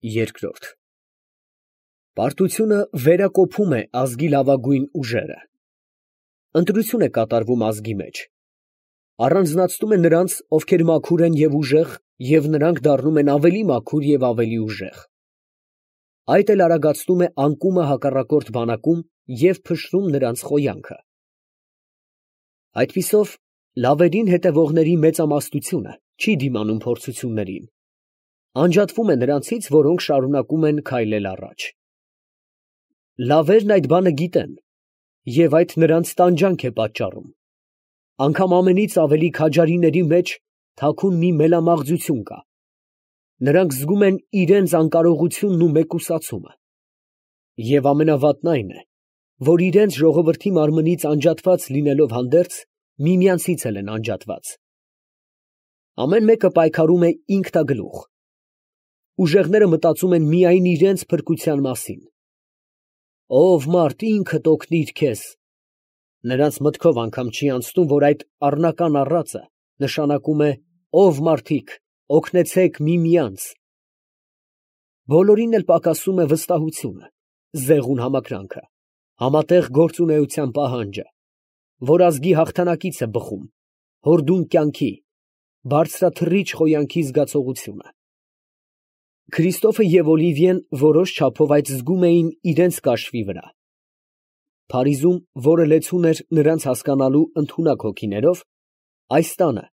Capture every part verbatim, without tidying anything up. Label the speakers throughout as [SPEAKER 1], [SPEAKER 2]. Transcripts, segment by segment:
[SPEAKER 1] Երկրորդ Պարտությունը վերակոփում է ազգի լավագույն ուժերը, ընտրություն է կատարվում ազգի մեջ, առանձնացնում է նրանց, ովքեր մաքուր են և ուժեղ, և նրանք դառնում են ավելի մաքուր և ավելի ուժեղ, այդ էլ արագացնում է անկումը հակառակորդ բանակում և փշրում նրանց խոյանքը։ Այդպիսով լավերին հետևողների մեծամասնությունը չի դիմանում փորձություններին, անջատվում է նրանցից, որոնք շարունակում են քայլել առաջ։ Լավերն այդ բանը գիտեն, և այդ նրանց տանջանք է պատճառում, անգամ ամենից ավելի քաջարիների մեջ թաքուն մի մելամաղձություն կա, նրանք զգում են իրենց անկարողությունն ու մեկուսացումը, և ամենավատն այն է, որ իրենց ժողովրդի մարմնից անջատված լինելով հանդերձ, միմյանցից էլ են անջատված։ Ամեն մեկը պայքարում է ինքնագլուխ, ուժեղները մտածում են միայն իրենց փրկության մասին։ Ով մարդ ինքդ օգնիր քեզ, նրանց մտքով անգամ չի անցնում, որ այդ առնական առածը նշանակում է ով մարդիկ, օգնեցեք միմյանց։ Բոլորին էլ պակասում է վստահությունը, զեղուն համակրանքը, համատեղ գործունեության պահանջը, որ ազգի հաղթանակից է բխում, հորդուն կյանքի, բարձրաթռիչ խոյանքի զգացողությունը։ Քրիստոֆը և Օլիվիեն որոշ չափով այդ զգում էին իրենց կաշվի վրա։ Փարիզում, որը լեցուն էր նրանց հասկանալու ընդունակ հոգիներով, այս տանը,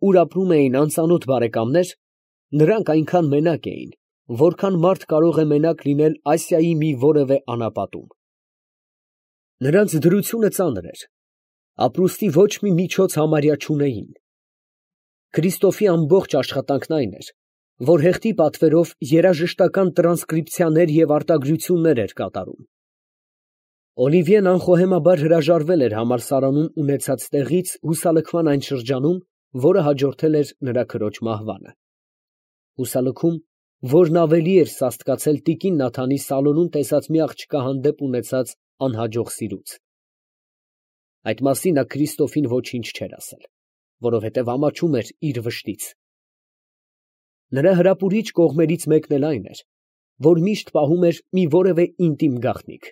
[SPEAKER 1] ուր ապրում էին անծանոթ բարեկամներ, նրանք այնքան մենակ էին, որքան մարդ կարող է մենակ լինել Ասիայի մի որևէ անապատում։ Նրանց դրությունը ծանր էր, ապրուստի ոչ մի միջոց համարյա չունեին։ Քրիստոֆի ամբողջ աշխատանքն այն էր, որ հեղտի պատվերով երաժշտական տրանսկրիպցիաներ և արտագրություններ էր կատարում։ Օլիվիեն անխոհեմաբար հրաժարվել էր համալսարանում ունեցած տեղից հուսալքման այն շրջանում, որը հաջորդել էր նրա քրոջ մահվանը։ Հուսալքում, որն ավելի էր սաստկացել տիկին Նաթանի սալոնում տեսած մի աղջկա հանդեպ ունեցած անհաջող սիրուց։ Այդ մասին նա Քրիստոֆին ոչինչ չէր ասել, որովհետև ամաչում էր իր վշտից։ Նրա հրապուրիչ կողմերից մեկն էլ այն էր, որ միշտ պահում էր մի որևէ ինտիմ գաղտնիք,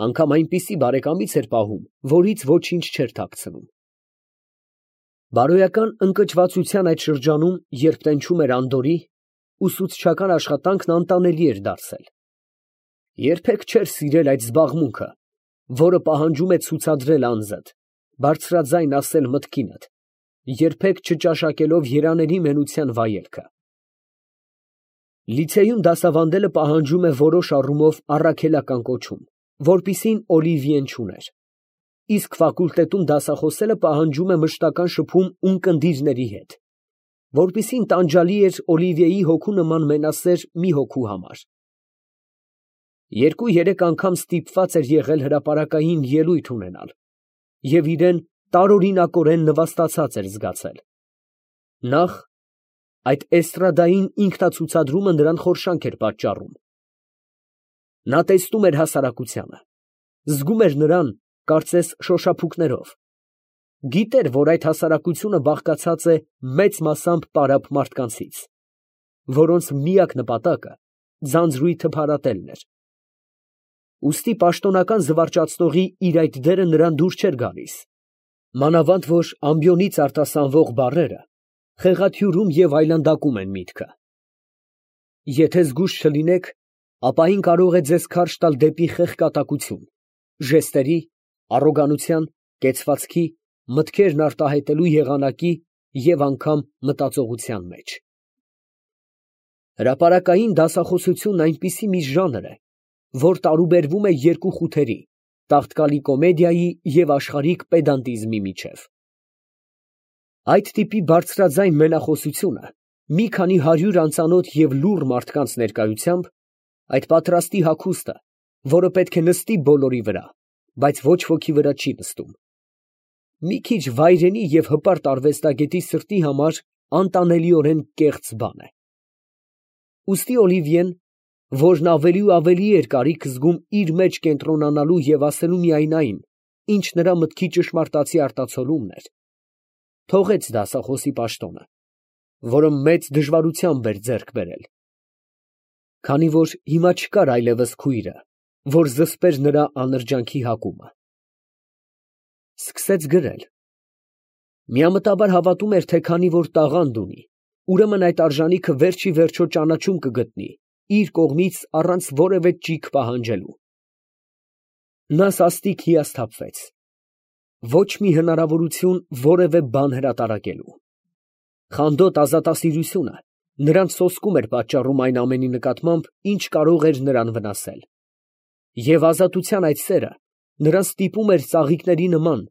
[SPEAKER 1] անգամ այնպիսի բարեկամից էր պահում, որից ոչինչ չէր թաքցնում։ Բարոյական ընկճվածության այդ շրջանում, երբ տենչում էր անդորրի, ուսուցչական աշխատանքն անտանելի էր դարձել։ Երբեք չէր սիրել այդ զբաղմունքը, որը պահանջում է ցուցադրել անձդ, բարձրաձայն ասել մտքինդ, երբեք չճաշակելով երանելի մենության վայելքը։ Լիցեյում դասավանդելը պահանջում է որոշ առումով առաքելական կոչում, որպիսին Օլիվիեն չուներ, իսկ ֆակուլտետում դասախոսելը պահանջում է մշտական շփում ունկնդիրների հետ, որպիսին տանջալի էր Օլիվիեի հոգու նման մենասեր մի հոգու համար։ Երկու֊երեք անգամ ստիպված էր եղել հրապարակային ելույթ ունենալ և իրան տարօրինակորեն նվաստացած էր զգացել։ Նախ, այդ էստրադային ինքնացուցադրումը նրան խորշանք էր պատճառում։ Նա տեսնում էր հասարակությանը, զգում էր նրան, կարծես շոշափուկներով, գիտեր, որ այդ հասարակությունը բաղկացած է մեծ մասամբ պարապ մարդկանցից, որոնց միակ նպատակը ձանձրույթը փարատելն էր։ Ուստի պաշտոնական զվարճացնողի իր այդ դերը նրան դուր չէր գալիս, մանավանդ որ ամբիոնից արտասանվող բառերը խեղաթյուրում և այլանդակում են միտքը։ Եթե զգույշ չլինեք, ապա այն կարող է ձեզ քարշ տալ դեպի խեղկատակություն, ժեստերի, առոգանության, կեցվածքի, մտքերն արտահայտելու եղանակի և անգամ մտածողության մեջ։ Հրապարակային դասախոսությունն այնպիսի մի ժանր է, որ տարուբերվում է երկու խութերի՝ տաղտկալի կոմեդիայի և աշխարհիկ պեդանտիզմի միջև։ Այդ տիպի բարձրաձայն մենախոսությունը մի քանի հարյուր անծանոթ և լուռ մարդկանց ներկայությամբ, այդ պատրաստի հագուստը, որը պետք է նստի բոլորի վրա, բայց ոչ ոքի վրա չի նստում, մի քիչ վայրենի և հպարտ արվեստագետի սրտի համար անտանելիորեն կեղծ բան է։ Ուստի Օլիվիեն, որն ավելի ու ավելի էր կարիք զգում իր մեջ կենտրոնանալու և ասելու միայն այն, ինչ նրա մտքի ճշմարտացի արտացոլումն էր, թողեց դասախոսի պաշտոնը, որը մեծ դժվարությամբ էր ձեռք բերել։ Քանի որ հիմա չկար այլևս քույրը, որ զսպեր նրա անրջանքի հակումը։ Սկսեց գրել։ Միամտաբար հավատում էր, թե քանի որ տաղանդ ունի, ուրեմն այդ արժանիքը վերջի վերջո ճանաչում կգտնի իր կողմից առանց որևէ ճիգ պահանջելու։ Նա սաստիկ հիասթափվեց։ Ոչ մի հնարավորություն որևէ բան հրատարակելու։ Խանդոտ ազատասիրությունը նրան սոսկում էր պատճառում այն ամենի նկատմամբ, ինչ կարող էր նրան վնասել։ Եվ ազատության այդ սերը նրան ստիպում էր ծաղիկների նման,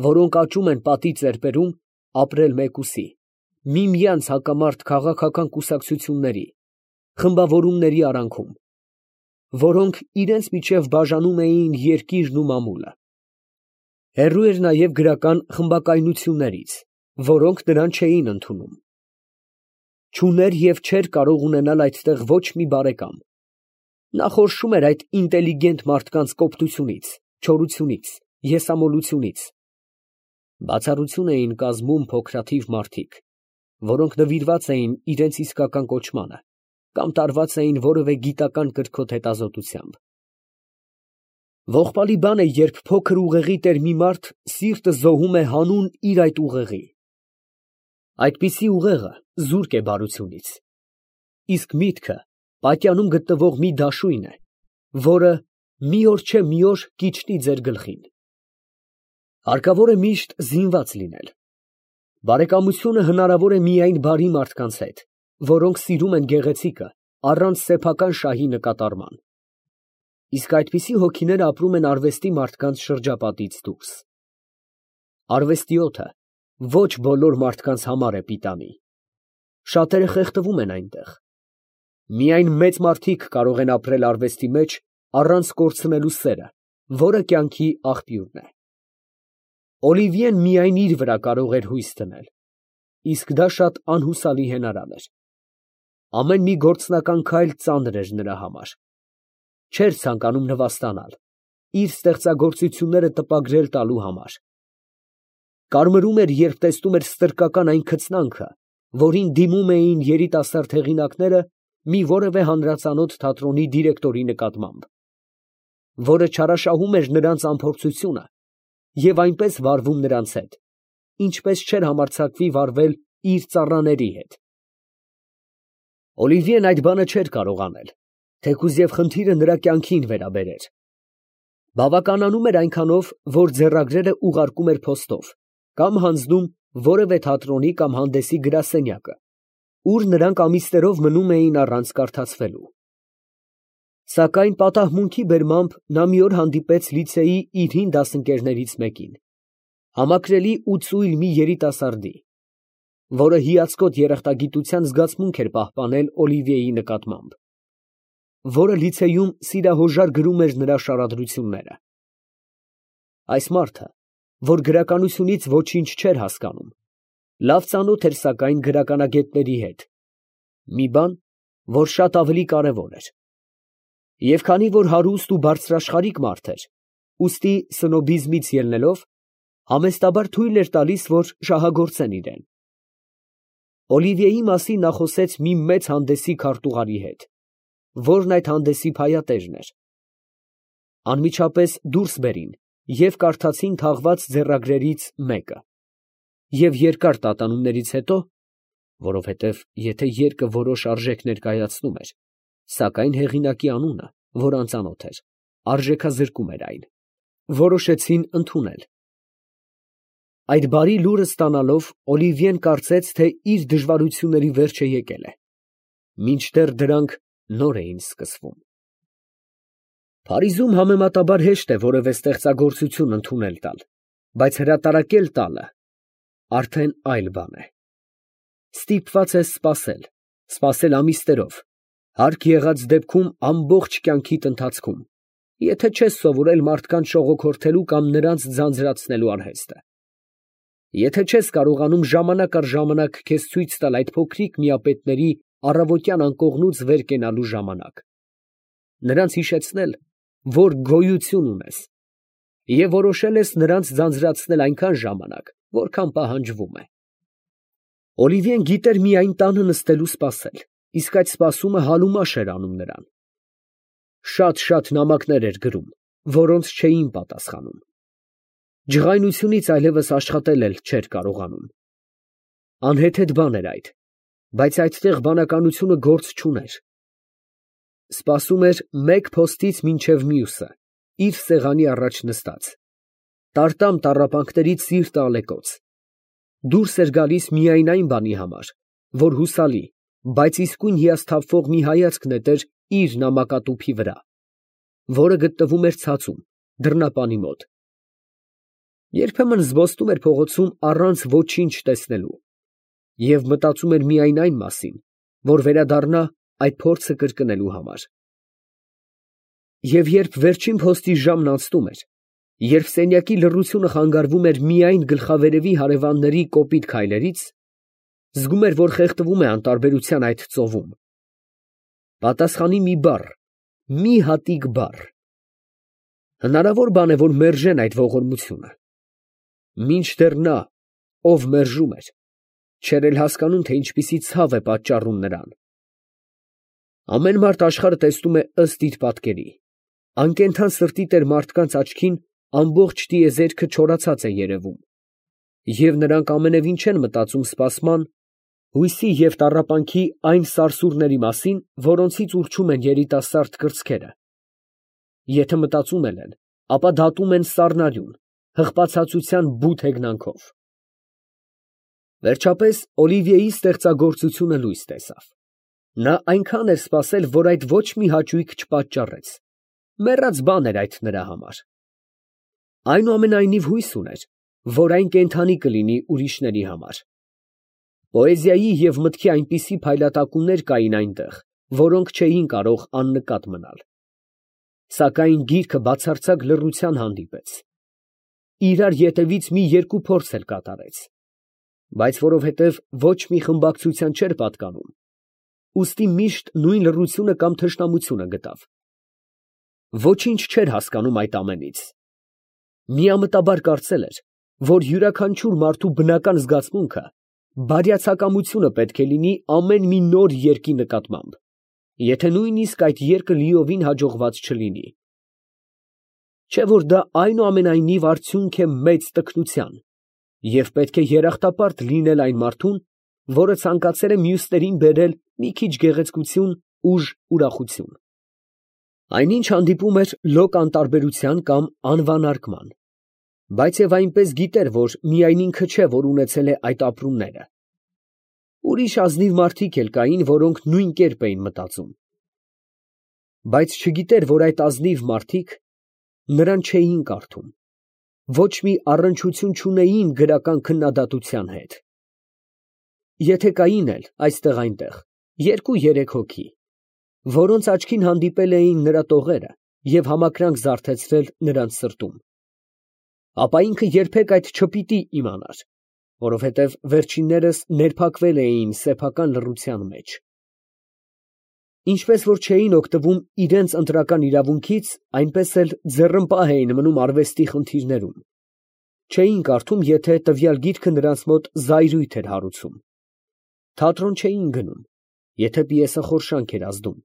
[SPEAKER 1] որոնք աճում են պատի ծերպերում, ապրել մեկուսի, միմյանց հակամարտ քաղաքական կուսակցությունների, խմբավորումների արանքում, որոնք իրենց միջև բաժանում էին երկիրն ու մամուլը։ Հեռու էր նաև գրական խմբակայնություններից, որոնք նրան չէին ընդունում։ Չուներ և չէր կարող ունենալ այդտեղ ոչ մի բարեկամ։ Նա խորշում էր այդ ինտելիգենտ մարդկանց կոպտությունից, չորությունից, եսամոլությունից։ Բացառություն էին կազմում փոքրաթիվ մարդիկ, որոնք նվիրված էին իրենց իսկական կոչմանը կամ տարված էին որևէ գիտական կրքոտ հետազոտությամբ։ Ողբալի բան է, երբ փոքր ուղեղի տեր մի մարդ սիրտը զոհում է հանուն իր այդ ուղեղի։ Այդպիսի ուղեղը զուրկ է բարությունից, իսկ միտքը պատյանում գտնվող մի դաշույն է, որը մի օր չէ մի օր կիջնի ձեր գլխին։ Հարկավոր է միշտ զինված լինել։ Բարեկամությունը հնարավոր է միայն բարի մարդկանց հետ, որոնք սիրում են գեղեցիկը առանց սեփական շահի նկատառման։ Իսկ այդպիսի հոգիները ապրում են արվեստի մարդկանց շրջապատից դուրս։ Արվեստի օդը ոչ բոլոր մարդկանց համար է պիտանի։ Շատերը խեղդվում են այնտեղ։ Միայն մեծ մարդիկ կարող են ապրել արվեստի մեջ առանց կորցնելու սերը, որը կյանքի աղբյուրն է։ Օլիվիեն միայն իր վրա կարող էր հույս դնել, իսկ դա շատ անհուսալի հենարան էր։ Ամեն մի գործնական քայլ ծանր էր նրա համար։ Չէր ցանկանում նվաստանալ, իր ստեղծագործությունները տպագրել տալու համար։ Կարմրում էր, երբ տեսնում էր ստրկական այն քծնանքը, որին դիմում էին երիտասարդ հեղինակները մի որևէ հանրածանոթ թատրոնի դիրեկտորի նկատմամբ, որը չարաշահում էր նրանց անփորձությունը և այնպես վարվում նրանց հետ, ինչպես չէր համարձակվի վարվել իր ծառաների հետ։ Օլիվիեն այդ բանը չէր կարող անել, թեկուզ և խնդիրը նրա կյանքին վերաբերեր։ Բավականանում էր այնքանով, որ ձեռագրերը ուղարկում էր փոստով կամ հանձնում որևէ թատրոնի կամ հանդեսի գրասենյակը, ուր նրանք ամիսներով մնում էին առանց կարդացվելու։ Սակայն պատահմունքի բերմամբ նա մի օր հանդիպեց լիցեի իր հին դասընկերներից մեկին, համակրելի ու ծույլ մի երիտասարդի, որը հիացկոտ երախտագիտության զգացմունք էր պահպանել Օլիվիեի նկատմամբ, որը լիցեյում սիրահոժար գրում էր նրա շարադրությունները։ Այս մարդը, որ գրականությունից ոչինչ չէր հասկանում, լավ ծանոթ էր սակայն գրականագետների հետ, մի բան, որ շատ ավելի կարևոր էր։ Եվ քանի որ հարուստ ու բարձրաշխարհիկ մարդ էր, ուստի սնոբիզմից ելնելով, համեստաբար թույլ էր տալիս, որ շահագործեն իրեն։ Օլիվիեի մասին նա խոսեց մի մեծ հանդեսի քարտուղարի հետ, որն այդ հանդեսի փայատերն էր։ Անմիջապես դուրս բերին և կարդացին թաղված ձեռագրերից մեկը, և երկար տատանումներից հետո, որովհետև եթե երկը որոշ արժեք ներկայացնում էր, սակայն հեղինակի անունը, որ անծանոթ էր, արժեքազրկում էր այն, որոշեցին ընդունել։ Այդ բարի լուրը ստանալով, Օլիվիեն կարծեց, թե իր դժվարությունների վերջը եկել է, մինչդեռ դրանք նոր էին սկսվում։ Փարիզում համեմատաբար հեշտ է որևէ ստեղծագործություն ընդունել տալ, բայց հրատարակել տալը արդեն այլ բան է։ Ստիպված ես սպասել, սպասել ամիսներով, հարկ եղած դեպքում ամբողջ կյանքիդ ընթացքում, եթե չես սովորել մարդկանց շողոքորթելու կամ նրանց ձանձրացնելու արհեստը։ Եթե չես կարողանում ժամանակ առ ժամանակ քեզ ցույց տալ այդ փոքրիկ միապետների առավոտյան անկողնուց վեր կենալու ժամանակ, նրանց հիշեցնել, որ գոյություն ունես, և որոշել ես նրանց ձանձրացնել այնքան ժամանակ, որքան պահանջվում է։ Օլիվիեն գիտեր միայն տանը նստելու սպասել, իսկ այդ սպասումը համեմաշ էր անում նրան։ շատ-շատ նամակներ էր գրում, որոնց չէին պատասխանում։ Ջղայնությունից այլևս աշխատել էլ չէր կարողանում։ Անհեթեթ բան էր այդ, բայց այդտեղ բանականությունը գործ չուներ։ Սպասում էր մեկ փոստից մինչև մյուսը, իր սեղանի առաջ նստած։ Տարտամ տառապանքներից սիրտը ալեկոծ։ Դուրս էր գալիս միայն այն բանի համար, որ հուսալի, բայց իսկույն հիասթափվող մի հայացք նետեր իր նամակատուփի վրա, որը գտնվում էր ցածում, դռնապանի մոտ։ Երբեմն զբոսնում էր փողոցում առանց ոչինչ տեսնելու և մտածում էր միայն այն մասին, որ վերադառնա այդ փորձը կրկնելու համար։ Եվ երբ վերջին փոստի ժամն անցնում էր, երբ սենյակի լռությունը խանգարվում էր միայն գլխավերևի հարևանների կոպիտ քայլերից, զգում էր, որ խեղդվում է անտարբերության այդ ծովում։ Պատասխանի մի բառ, մի հատիկ բառ։ Հնարավոր բան է, որ մերժեն այդ ողորմությունը։ Մինչդեռ նա, ով մերժում էր, չէր էլ հասկանում, թե ինչպիսի ցավ է պատճառում նրան։ Ամեն մարդ աշխարհը տեսնում է ըստ իր պատկերի։ Անկենդան սրտի տեր մարդկանց աչքին ամբողջ տիեզերքը չորացած է երևում, և նրանք ամենևին չեն մտածում սպասման, հույսի և տառապանքի այն սարսուռների մասին, որոնցից ուռչում են երիտասարդ կրծքերը։ Եթե մտածում էլ են, ապա դատում են սառնարյուն, հղպացածության բութ հեգնանքով։ Վերջապես Օլիվիեի ստեղծագործությունը լույս տեսավ։ Նա այնքան էր սպասել, որ այդ ոչ մի հաճույք չպատճառեց։ Մեռած բան էր այդ նրա համար։ Այնուամենայնիվ հույս ուներ, որ այն կենդանի կլինի ուրիշների համար։ Պոեզիայի և մտքի այնպիսի փայլատակումներ կային այնտեղ, որոնք չէին կարող աննկատ մնալ։ Սակայն գիրքը բացարձակ լռության հանդիպեց։ Իրար ետևից մի երկու փորձ էլ կատարեց, բայց որովհետև ոչ մի խմբակցության չէր պատկանում, ուստի միշտ նույն լռությունը կամ թշնամությունը գտավ։ Ոչինչ չէր հասկանում այդ ամենից։ Միամտաբար կարծել էր, որ յուրաքանչյուր մարդու բնական զգացմունքը բարյացակամությունը պետք է լինի ամեն մի նոր երկի նկատմամբ, եթե նույնիսկ այդ երկը լիովին հաջողված չլինի։ Չէ՞ որ դա այնուամենայնիվ արդյունք է մեծ տքնության, և պետք է երախտապարտ լինել այն մարդուն, որը ցանկացել է մյուսներին բերել մի քիչ գեղեցկություն, ուժ, ուրախություն։ Այնինչ հանդիպում էր լոկ անտարբերության կամ անվանարկման, բայց և այնպես գիտեր, որ միայն ինքը չէ, որ ունեցել է այդ ապրումները։ Ուրիշ ազնիվ մարդիկ էլ կային, որոնք նույն կերպ էին մտածում։ Բայց չգիտեր, որ այդ ազնիվ մարդիկ նրան չէին կարդում, ոչ մի առնչություն չունեին գրական քննադատության հետ։ Եթե կային էլ այստեղ֊այնտեղ երկու֊երեք հոգի, որոնց աչքին հանդիպել էին նրա տողերը և համակրանք զարթեցրել նրանց սրտում, ապա ինքը երբեք այդ չպիտի իմանար, որովհետև վերջիններս ներփակվել էին սեփական լռության մեջ։ Ինչպես որ չէին օգտվում իրենց ընտրական իրավունքից, այնպես էլ ձեռնպահ էին մնում արվեստի խնդիրներում, չէին կարդում, եթե տվյալ գիրքը նրանց մոտ զայրույթ էր հարուցում, թատրոն չէին գնում, եթե պիեսը խորշանք էր ազդում,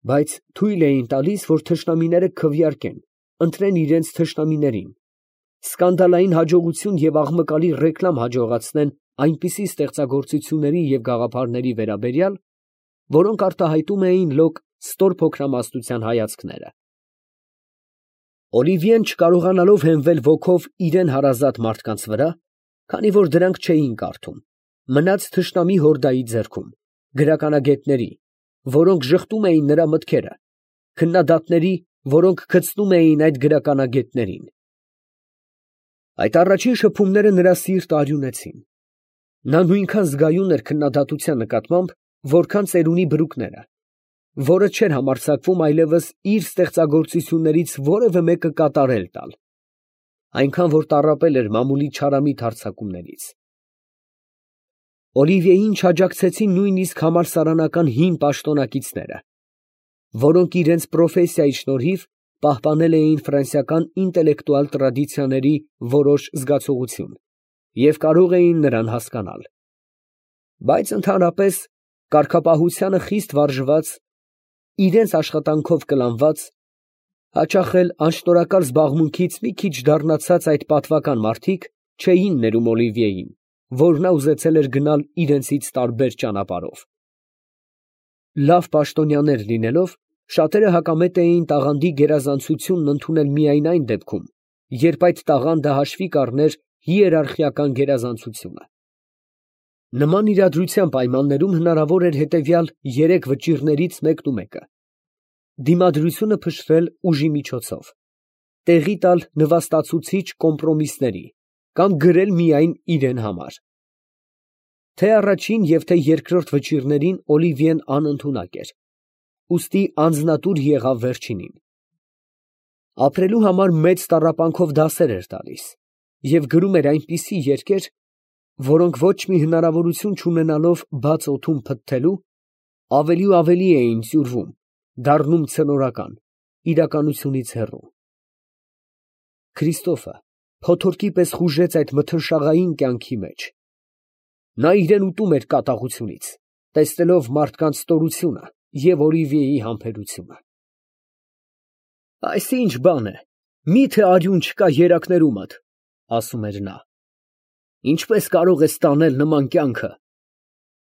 [SPEAKER 1] բայց թույլ էին տալիս, որ թշնամիները քվեարկեն, ընտրեն իրենց թշնամիներին, սկանդալային հաջողություն և աղմկալի ռեկլամ հաջողացնեն այնպիսի ստեղծագործությունների և գաղափարների վերաբերյալ, որոնք արտահայտում էին լոկ ստորփոքրամասնության հայացքները։ Օլիվիեն, չկարողանալով հենվել ոգով իրան հարազատ մարդկանց վրա, քանի որ դրանք չէին կարդում, մնաց թշնամի հորդայի ձեռքում, գրականագետների, որոնք ժխտում էին նրա մտքերը, քննադատների, որոնք գցնում էին այդ գրականագետներին։ Այդ առաջին շփումները նրա սիրտը արյունեցին։ Նա նույնքան զգայուն էր քննադատության նկատմամբ, որքան ծերունի բրուկները, որը չէր համարձակվում այլևս իր ստեղծագործություններից որևէ մեկը կատարել տալ, այնքան որ տառապել էր մամուլի չարամիտ հարձակումներից։ Օլիվիեին չաջակցեցին նույնիսկ համալսարանական հին պաշտոնակիցները, որոնք իրենց պրոֆեսիայի շնորհիվ պահպանել էին ֆրանսիական ինտելեկտուալ տրադիցիաների որոշ զգացողություն և կարող էին նրան հասկանալ։ Բայց ընդհանրապես կարգապահությանը խիստ վարժված, իրենց աշխատանքով կլանված, հաճախ էլ անշնորհակալ զբաղմունքից մի քիչ դառնացած այդ պատվական մարդիկ չէին ներում Օլիվիեին, որ նա ուզեցել էր գնալ իրենցից տարբեր ճանապարհով։ Լավ պաշտոնյաներ լինելով, շատերը հակամետ էին տաղանդի գերազանցությունն ընդունել միայն այն դեպքում, երբ այդ տաղանդը հաշվի կառներ հիերարխիական գերազանցությունը։ Նման իրադրության պայմաններում հնարավոր էր հետևյալ երեք վճիռներից մեկնումեկը. դիմադրությունը փշրել ուժի միջոցով, տեղի տալ նվաստացուցիչ կոմպրոմիսների կամ գրել միայն իրեն համար։ Թե առաջին և թե երկրորդ վճիռներին Օլիվիեն անընդունակ էր, ուստի անձնատուր եղավ վերջինին։ Ապրելու համար մեծ տառապանքով դասեր էր տալիս և գրում էր այնպիսի երգեր, որոնք ոչ մի հնարավորություն չունենալով բաց օդում փթթելու, ավելի ու ավելի էին ծյուրվում, դառնում ցնորական, իրականությունից հեռու։ Քրիստոֆը փոթորկի պես խուժեց այդ մթնշաղային կյանքի մեջ։ Նա իրան ուտում էր կատաղությունից, տեսնելով մարդկանց ստորությունը և Օլիվիեի համբերությունը։ «Այս ի՞նչ բան է, մի՞թե արյուն չկա երակներումդ», ասում էր նա։ «Ինչպե՞ս կարող ես տանել նման կյանքը։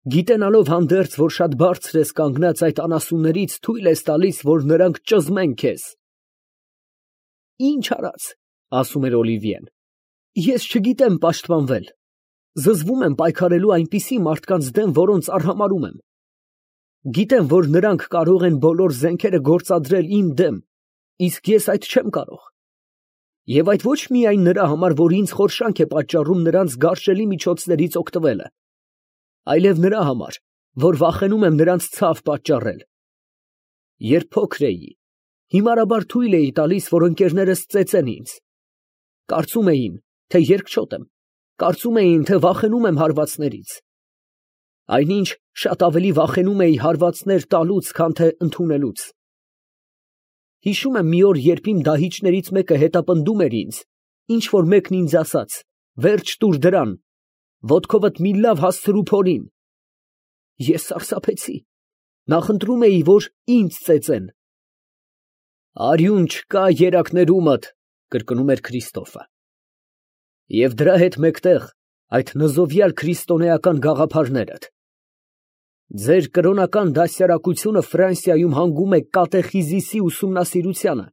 [SPEAKER 1] Գիտենալով հանդերձ, որ շատ բարձր ես կանգնած այդ անասուններից, թույլ ես տալիս, որ նրանք ճզմեն քեզ»։ «Ի՞նչ արած», ասում էր Օլիվիեն, «ես չգիտեմ պաշտպանվել, զզվում եմ պայքարելու այնպիսի մարդկանց դեմ, որոնց արհամարհում եմ։ Գիտեմ, որ նրանք կարող են բոլոր զենքերը գործադրել իմ դեմ, իսկ ես այդ չեմ կարող։ Եվ այդ ոչ միայն նրա համար, որ ինձ խորշանք է պատճառում նրանց գարշելի միջոցներից օգտվելը, այլև նրա համար, որ վախենում եմ նրանց ցավ պատճառել։ Երբ փոքր էի, հիմարաբար թույլ էի տալիս, որ ընկերներս ծեծեն ինձ։ Կարծում էին, թե երկչոտ եմ, կարծում էին, թե վախենում եմ հարվածներից։ Այնինչ շատ ավելի վախենում էի հարվածներ տալուց, քան թե ընդունելուց։ Հիշում եմ մի օր, երբ իմ դահիճներից մեկը հետապնդում էր ինձ, ինչ որ մեկն ինձ ասաց. «Վերջ տուր դրան, ոտքովդ մի լավ հասցրու փորին»։ Ես սարսափեցի, նախընտրում էի, որ ինձ ծեծեն։ «Արյուն չկա երակներումդ», կրկնում էր Քրիստոֆը։ Եվ դրա հետ մեկտեղ այդ նզովյալ քրիստոնեական գաղափարներդ։ Ձեր կրոնական դասյարակությունը Ֆրանսիայում հանգում է կատեխիզիսի ուսումնասիրությանը,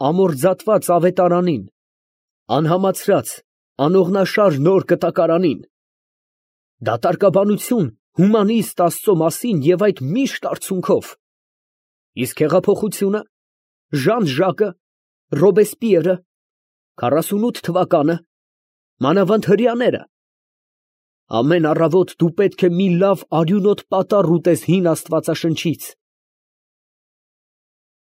[SPEAKER 1] ամորձատված ավետարանին, անհամացրած, անողնաշար նոր կտակարանին, դատարկաբանություն հումանիստ Աստծո մասին և այդ միշտ արցունքով, իսկ հեղափոխությունը, Ժան Ժակը, Ռոբեսպիերը, քառասունութ թվականը, մանավանդ հրեաները, ամեն առավոտ դու պետք է մի լավ արյունոտ պատառ ուտես հին աստվածաշնչից,